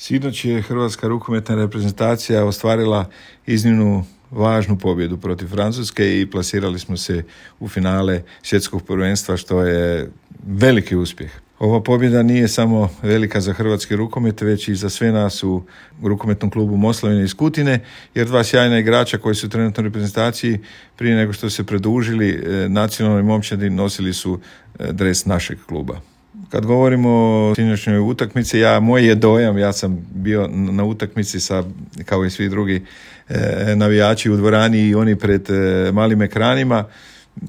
Sinoć je hrvatska rukometna reprezentacija ostvarila iznimnu važnu pobjedu protiv Francuske i plasirali smo se u finale svjetskog prvenstva, što je veliki uspjeh. Ova pobjeda nije samo velika za hrvatski rukomet, već i za sve nas u rukometnom klubu Moslavine iz Kutine, jer dva sjajna igrača koji su trenutno u reprezentaciji prije nego što se pridružili nacionalnoj momčadi nosili su dres našeg kluba. Kad govorimo o sinoćnjoj utakmici, moj je dojam, ja sam bio na utakmici kao i svi drugi navijači u dvorani i oni pred malim ekranima.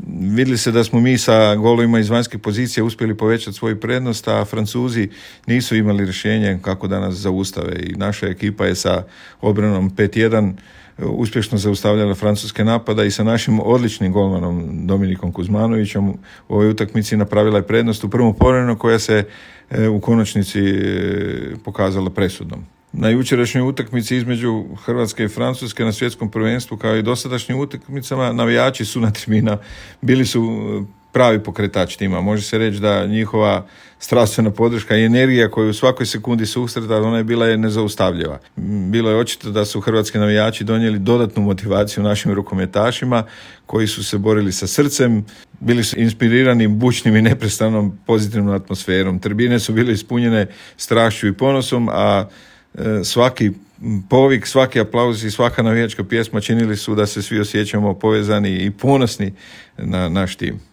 Vidjeli se da smo mi sa golovima iz vanjske pozicije uspjeli povećati svoju prednost, a Francuzi nisu imali rješenje kako da nas zaustave i naša ekipa je sa obranom 5-1 uspješno zaustavljala francuske napada i sa našim odličnim golmanom Dominikom Kuzmanovićem u ovoj utakmici napravila je prednost u prvom povremenu koja se u konačnici pokazala presudnom. Na jučerašnjoj utakmici između Hrvatske i Francuske na svjetskom prvenstvu, kao i dosadašnjim utakmicama, navijači su na tribina, bili su pravi pokretač tima. Može se reći da njihova strastvena podrška i energija koju u svakoj sekundi susreta, ona je bila nezaustavljiva. Bilo je očito da su hrvatski navijači donijeli dodatnu motivaciju našim rukometašima koji su se borili sa srcem, bili su inspirirani bučnim i neprestanom pozitivnom atmosferom. Tribine su bile ispunjene strašću i ponosom, a svaki povik, svaki aplauz i svaka navijačka pjesma činili su da se svi osjećamo povezani i ponosni na naš tim.